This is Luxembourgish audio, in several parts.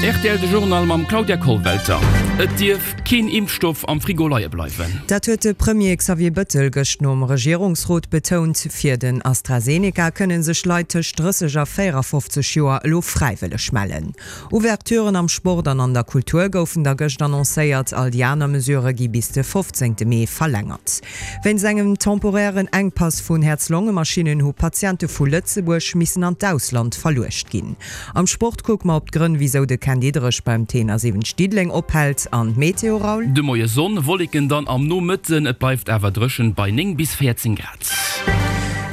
Rtl De Journal mam Claudia Kollwelter. Et dierf keen Impfstoff am Frigo leie bleiwen. Dat huet de Premier Xavier Bëttel gëscht nom Regierungsrot betount. Fir den AstraZeneca kënne sech Leit tëscht 30 a 54 Joer elo fräiwëlleg mellen. Ouverturen am Sport an an der Kultur goufen da gëscht annoncéiert. All déi aner Mesurë gi bis de 15 Mee verlängert. Wéinst engem temporairen Enkpass vun Häerz-Longe-Maschinnen hu Patiente vu Lëtzebuerg missen an d'Ausland verluecht ginn. Am Sport kucke mer op d'Grënn, wisou de Ken Diederich beim T71 Diddeleng ophält an d'Meteo, Raoul? De Moie Sonn, Wolleken dann am Nomëtten, et bleift awer dréchen bei 9 bis 14 Grad.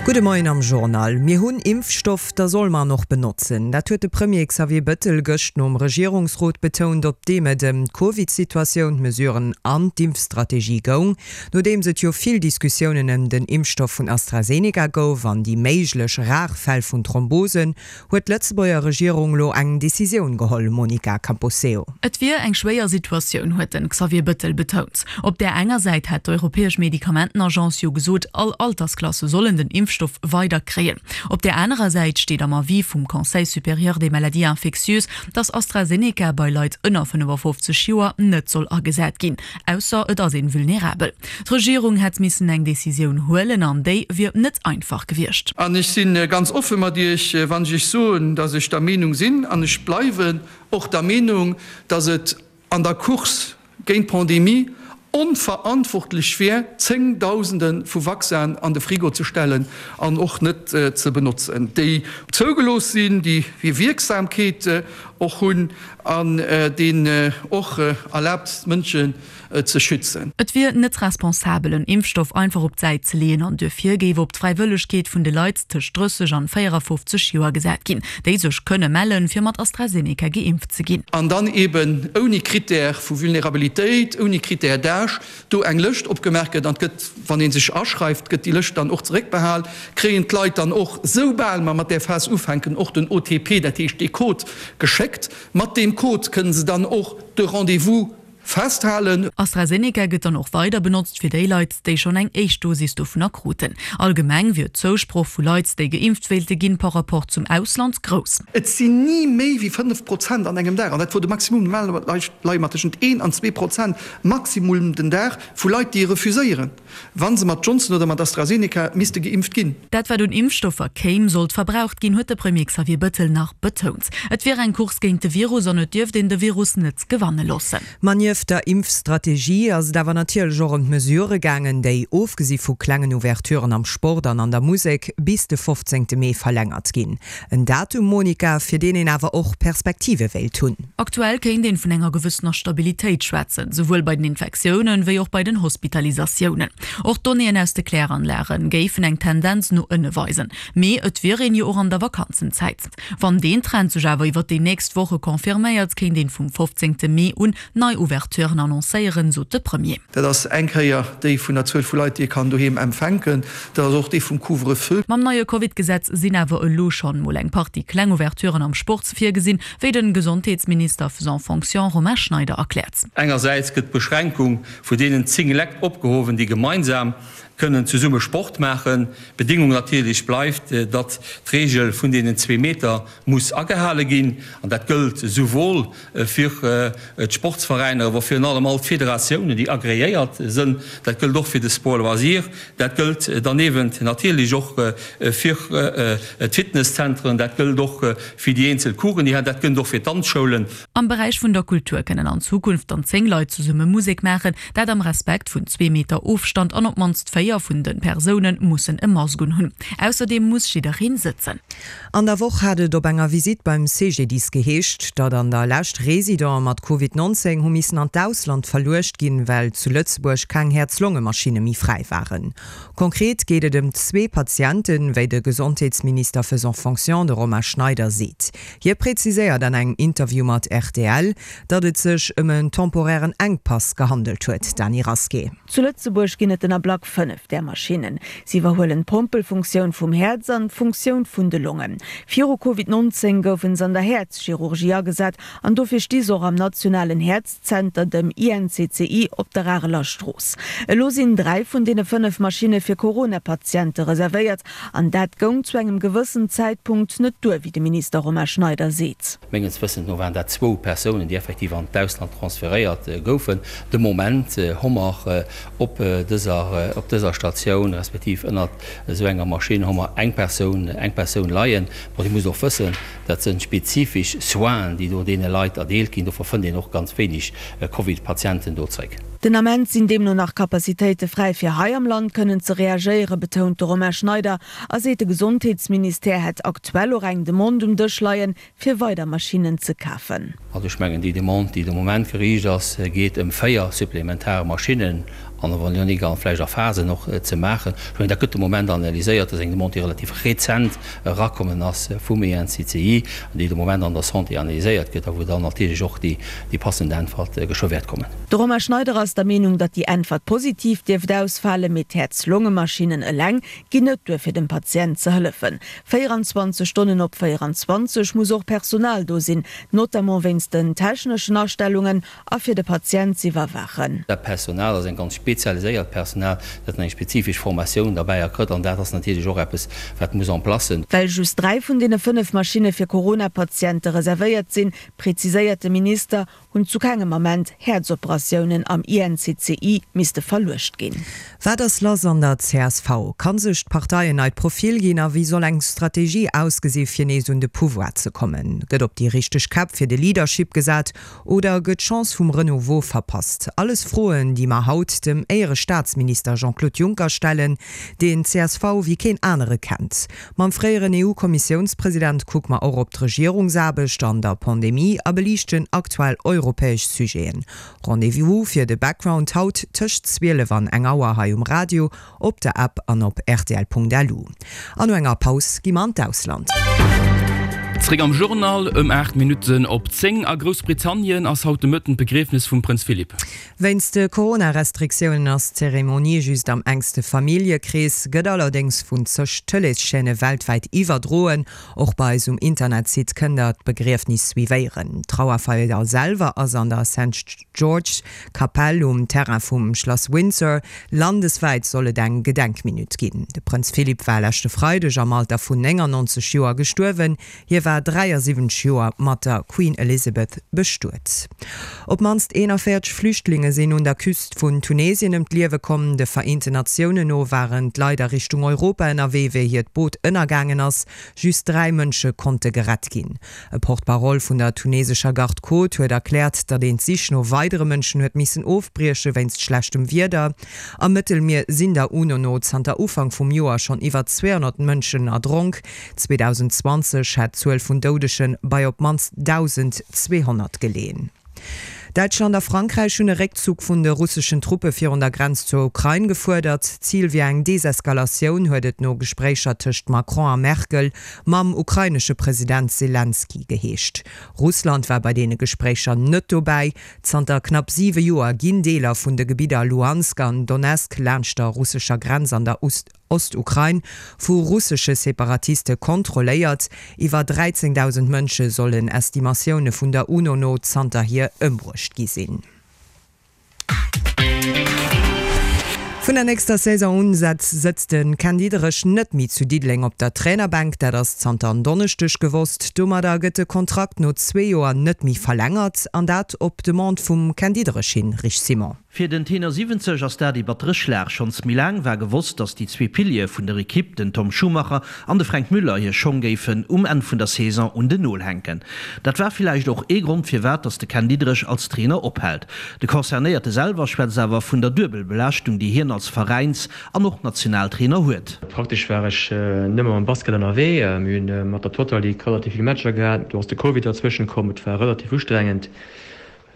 Gudde Moien am Journal. Mir hunn Impfstoff, da soll mer en och benotzen. Dat huet de Premier Xavier Bëttel gëscht nom Regierungsrot betount, op deem et ëm d'Covid-Situatioun, d'Mesuren an d'Impfstrategie goung. Nodeems et jo vill Diskussiounen ëm den Impfstoff vun AstraZeneca gouf an déi méiglech rar Fäll vun Thrombosen, huet d'Lëtzebuerger Regierung lo eng Decisioun geholl, Monica Camposeo. Et wier eng schwéier Situatioun, huet den Xavier Bëttel betount. Op där enger Säit hätt d'Europäesch Medikamentenagence jo gesot, all Altersklasse sollen den Impfstoff weider kréien. Op där anerer Säit steet am Avis vum Conseil supérieur des maladies infectieuses, datt AstraZeneca bei Leit ënner 55 Joer net soll agesat ginn. Ausser et ass een vulnerabel. D'Regierung hätt missen eng Decisioun huelen an déi wier net einfach gewiescht. An ech si ganz offe mat Iech, wann ech Iech soen, datt ech der Meenung sinn, an ech bleiwen och der Meenung, datt et an der Course géint d'Pandemie onverantwortlech wär, Zéngdausende vu Vaccinen an de Frigo ze stellen an och net ze benotzen, déi zougelooss sinn, déi hir Wierksamkeet och hunn an deen och erlaabt d'Mënschen ze schützen. Et wier net responsabel en Impfstoff einfach op d'Säit ze leeën an duerfir géif op d'Fräiwëllegkeet vun de Leit tëscht 30 an 54 Joer gesat ginn, déi sech kënne mellen, fir mat AstraZeneca geimpft ze ginn. An dann eben ouni Critère vu Vulnerabilitéit, ouni Critère d'âge, do eng Lëscht opgemaach gëtt, an et gëtt, wann ee sech aschreift, gëtt déi Lëscht dann och zeréckbehal, kréien d'Leit dann och, soubal mer mat där Phas ufänken, och den OTP, dat heescht dee Code, geschéckt. Mat deem Code kënne se dann och de Rendez-vous festhalen. AstraZeneca gëtt dann och weider benotzt fir déi Leit, déi schonn eng éischt Dosis dovunner kruten. Allgemeng wier d'Zousproch vu Leit, déi geimpft wéilte ginn, par rapport zum Ausland grouss. Et sinn ni méi wéi 5 Prozent an engem Dag, an dat wor de Maximum, normalerweis leie mer tëschent een an 2 Prozent Maximum den Dag vu Leit, déi refuséieren, wa se mat Johnson oder mat AstraZeneca misste geimpft ginn. Dat wat un Impfstoffer kéim, sollt verbraucht ginn, huet de Premier Xavier Bëttel nach betount. Et wier eng Course géint de Virus an et dierft een de Virus net gewanne loossen. Ma nieft der Impfstrategie ass et awer natierlech och ëm d'Mesurë gaangen, déi, ofgesi vu klengen Ouverturen am Sport an an der Musek, bis de 15 Mee verlängert ginn. En Datum, Monica, fir deen een awer och Perspektive wéilt hunn. Aktuell kéint een vun enger gewëssener Stabilitéit schwätzen, souwuel bei den Infektiounen, wéi och bei den Hospitalisatiounen. Och d'Donnéeën aus de Kläranlage géifen eng Tendenz no ënne weisen. Mee et wier een jo och an der Vakanzenzäit. Wann deen Trend sech awer iwwer déi nächst Woche confirméiert, kéint een vum 15 Mee un nei Ouverturen annoncéieren, sot de Premier. Dat ass eng Kéier déi vun der Zuel vu Leit, déi ee kann doheem empfänken. Dat ass och déi vum Couvre-feu. Mam neie Covid-Gesetz sinn awer elo schonn mol eng Partie kleng Ouverturen am Sport virgesinn, wéi den Gesondheetsminister faisant fonction Romain Schneider erkläert. Engersäits gëtt d'Beschränkung vu deenen 10 Lekt opgehowen, déi gemeinsam kënnen zesumme Sport maachen. Bedingung natierlech bleift, datt d'Reegel vun deenen zwee Meter muss agehale ginn. An dat gëllt esouwuel fir d'Sportsveräiner, awer virun allem all d'Federatiounen, déi agreéiert sënn. Dat gëllt och fir de Sport loisir. Dat gëllt derniewent natierlech och fir d'Fitnesszentren. Dat gëllt och fir déi eenzel Coursen, déi dat gëllt och fir d'Danzschoulen. Am Beräich vun der Kultur kënnen an Zukunft dann 10 Leit zesumme Musek maachen, dat am Respekt vun zwee Meter Ofstand an op d'mannst 4 vun de Persoune mussen e Mask unhunn. Ausserdeem muss jiddereen sëtzen. An der Woch hat et op enger Visitt beim CGDIS geheescht, datt an der Lescht Residente mat Covid 19 hu missen an d'Ausland verluecht ginn, well zu Lëtzebuerg keng Häerz-Longe-Maschinne méi fräi waren. Konkret geet et ëm zwee Patienten, wéi de Gesondheetsminister faisant fonction, de Romain Schneider, seet. Hie präziséiert an engem Interview mat rtl, datt et sech ëm en temporairen Enkpass gehandelt huet. Dany Rasqué. Zu Lëtzebuerg ginn et den Ablack 5. 5 där Maschinnen. Si iwwerhuelen d'Pompelfunktioun vum Häerz an d'Funktioun vun de Longen. Viru Covid 19 goufen se an der Häerzchirurgie agesat an dofir sti se och am nationalen Häerzzenter, dem INCCI, op der Areler Strooss. Elo sinn 3 vun deene 5 Maschinne fir Corona-Patiente reservéiert an dat goung zu engem gewëssen Zäitpunkt net duer, wéi de Minister Romain Schneider seet. Menges Wëssens no waren dat zwou Persounen, déi effektiv an d'Ausland transferéiert goufen. De Moment hu mer op dëser, op dëser Statioun, respektiv ënnert esou enger Maschinn, hu mer eng Persoun, eng Persoun leien. Bon, Dir musst och wëssen, dat sënn spezifesch Soinen, déi do deene Leit erdeelt ginn. Dofir fënnt een och ganz wéineg Covid-Patienten do zréck. Den Ament sinn deemno nach Capacitéite fräi fir hei am Land kënnen ze reagéieren, betount de Romain Schneider a seet de Gesondheetsministère hätt aktuell och eng Demande um Dësch leien, fir weider Maschinnen ze kafen. Also ech mengen, déi Demande, déi de Moment geriicht ass, geet ëm 4 supplementar Maschinnen an Evonik a vläicht a Phasen och ze maachen. Ech mengen, dat gëtt de Moment analyséiert. Dat ass eng Demande, déi relativ rezent erakommen ass vum ENCCI an déi de Moment an der Santé analyséiert gëtt a wou dann natierlech och déi passend Äntwert geschwë wäert kommen. De Romain Schneider ass der Meenung, datt déi Äntwert positiv dierft ausfalen, mee d'Häerz-Longe-Maschinnen eleng ginn net duer fir dem Patient ze hëllefen. 24 Stonnen op 24 muss och Personal do sinn, notamment wéinst den techneschen Astellungen a fir de Patient z'iwwerwaachen. Dat Personal ass eng ganz spezialiséiert Personal, dat eng spezifesch Formatioun derbäi erkritt an dat ass natierlech och eppes, wat muss en place. Well just 3 vun deene 5 Maschinne fir Corona-Patiente reservéiert sinn, preziséiert de Minister, hunn zu kengem Ament Häerzoperatiounen am INCCI misste verluecht ginn. Wat ass lass an der csv? Kann sech d'Partei en neit Profil ginn a wéi soll eng Strategie ausgesi fir nees un de Pouvoir ze kommen? Gëtt op déi richteg Käpp fir de Leadership gesat oder gëtt d'Chance vum Renouveau verpasst? Alles Froen, déi mer haut dem Éierestaatsminister Jean-Claude Juncker stellen, deen d'CSV wéi keen anere kennt. Mam fréieren EU-Kommissiounspresident kucke mer och op d'Regierungsaarbecht an der Pandemie a beliichten aktuell europäesch Sujeten. Rendez-vous fir de Background haut tëscht 12 an eng Auer hei um Radio, op der App an op rtl.lu. An no enger Paus gi mer an d'Ausland. Zréck am Journal ëm 8 Minutten op 10. A Groussbritannien ass haut de Mëtten d'Begriefnes vum Prënz Philip. Wéinst de Corona-Restriktiounen ass d'Zeremonie just am enkste Familljekrees, gëtt allerdéngs vun zeg Tëleeschaîne weltwäit iwwerdroen. Och bei eis um Internetsite kënnt der d'Begriefnis suivéieren. D'Trauerfeier selwer ass an der Saint George's Kapell um Terrain vum Schlass Windsor. Landeswäit soll et eng Gedenkminutt ginn. De Prënz Philip war leschte Freideg am Alter vun 99 Joer gestuerwen. Hie war 73 Joer mat der Queen Elizabeth bestuet. Op d'mannst 41 Flüchtlinge sinn un der Küst vun Tunesien ëm d'Liewe komm. De Vereenten Natiounen no waren d'Leit a Richtung Europa ënnerwee, wéi hiert Boot ënnergaangen ass. Just 3 Mënsche konnte gerett ginn. E Porte-parole vun der tunesescher Garde Côte huet erkläert, datt een d'Sich no weidere Mënschen huet missen ofbrieche wéinst schlechtem Wieder. Am Mëttelmier sinn der UNO no zanter Ufank vum Joer schonn iwwer 200 Mënschen erdronk. 2020 hätt d'Zuel vun Doudege bei op d'mannst 1.200 geleeën. Däitschland a Frankräich hunn e Réckzuch vun de russeschen Truppe virun der Grenz zur Ukrain gefuerdert. Zil wier eng Deseskalatioun, huet et no Gespréicher tëscht Macron a Merkel mam ukrainesche President Selenskyj geheescht. Russland war bei deene Gespréicher net dobäi. Zanter knapp siwe Joer ginn Deeler vun de Gebidder Luhansk an Donezk laanscht der russescher Grenz an der Ostukrain vu russesche Separatiste kontrolléiert. Iwwer 13.000 Mënsche sollen Estimatioune vun der UNO no zanterhier ëmbruecht gi sinn. Vun der nächster Saison un sëtzt de Ken Diederich net méi zu Diddeleng op der Trainerbänk. Dat ass zanter en Donneschdeg gewosst. Domadder gëtt de Kontrakt no zwee Joer net méi verlängert, an dat op Demande vum Ken Diederich hin. Rich Simon. Fir den Tenor 70 ass dat ee battere Schlag. Schonns méi laang war gewosst, datt déi zwee Piliere vun der Ekipp, den Tom Schumacher an de Fränk Müller, hir Schong géifen um Enn vun der Saison un den Nol hänken. Dat war villäicht och ee Grond firwat datt de Ken Diederich als Trainer ophält. De Concernéierte selwer schwätzt awer vun der Duebelbelaaschtung, déi hien als Veräins an och Nationaltrainer huet. Praktesch war ech nëmme mam Basket ënnerwee. Mir hunn mat der Total League relativ vill Matcher gehat. Do ass de Covid derzwëschen komm. Et war relativ ustrengend.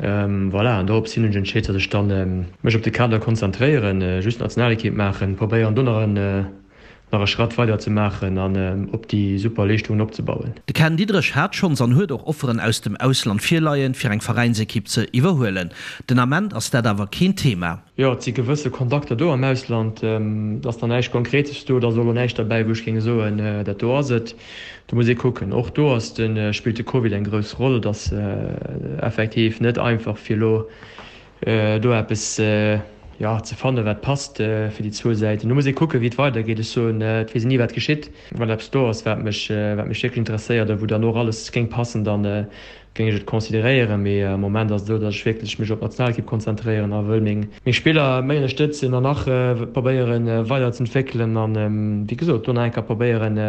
Voilà, an dorops hin hunn ech entscheet, datt ech dann mech op de Kader konzentréieren, just Nationalekipp maachen, probéieren do nach en. nach e Schratt weider ze maachen an op déi super Leeschtungen opzebauen. De Ken Diederich hat schonns an huet och Offeren aus dem Ausland virleien, fir eng Veräinsekipp ze iwwerhuelen. Den Ament ass dat awer keen Thema. Jo, et si gewësse Kontakter do am Ausland. Et ass nach näischt Konkretes do. Et ass och elo näischt derbäi, wou ech géing soen, dat do ass et. Do muss ee kucken. Och do ass de, spillt de Covid eng grouss Roll. Et ass effektiv net einfach, fir elo do eppes, jo, ze fannen, wat passt fir déi zwou Säiten. Do muss ee kucken, wéi et weidergeet. Ech soen, et weess een ni, wat geschitt. Wann eppes do ass, wat mech, wat mech wierklech interesséiert a wou dann och alles géing passen, dann géing ech et consideréieren. Mee am Moment ass et esou, datt ech wierklech mech op d'Nationalekipp konzentréieren a wëll meng, meng Spiller méi ënnerstëtzen an nach probéieren, weider ze entwéckelen an, wéi gesot, do nach eng Kéier probéieren,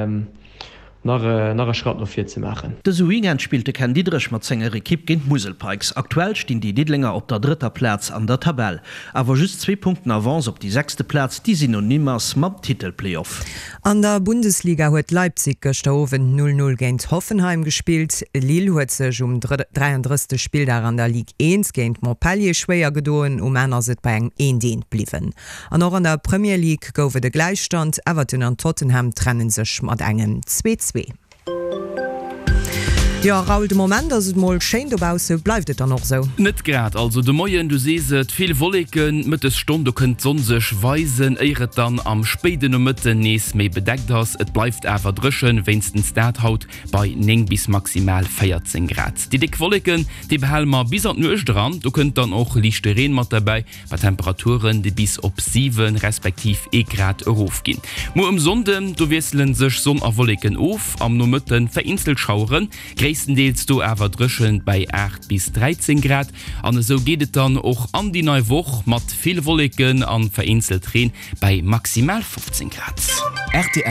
nach nach e Schratt no vir ze maachen. Dëse Weekend spillt de Ken Diederich mat senger Ekipp géint d'Musel Pikes. Aktuell stinn déi Diddelenger op der drëtter Plaz an der Tabell. Awer just zwee Punkten Avance op déi sechste Plaz, déi synonym ass mam Titelplayoff. An der Bundesliga huet Leipzig gëschter Owend 0, 0 géint Hoffenheim gespillt. Lille huet sech um 33. Spilldag an der Ligue 1 géint Montpellier schwéier gedoen. Um Enn ass et bei engem 1, 1 bliwwen. An och an der Premier League gouf et e Gläichstand, Everton an Tottenham trenne sech mat engem 2, 2. Jo Raoul, de Moment ass et mol schéin dobausse, bleift et dann och sou? Net grad, also de Moien, du sees et, vill Wolleken, d'Mëttesstonn do kënnt d'Sonn sech weisen, éier et dann am spéiden Nomëtten nees méi bedeckt ass. Et bleift awer dréchen, wéinstens dat haut bei 9 bis maximal 14 Grad. Déi déck Wolleken, déi behale mer bis an d'Nuecht eran, do kënnt dann och liichte Reen mat derbäi. Bei Temperaturen, déi bis op 7 respektiv ee Grad erofginn. Muer um Sonnden, do wiessele sech Sonn a Wolleken of, am Nomëtte vereenzelt Schaueren, gréisstendeels do awer dréchen bei 8 bis 13 Grad. An esou geet et dann och an déi nei Woch, mat vill Wolleken an vereenzelt Reen bei maximal 15 Grad.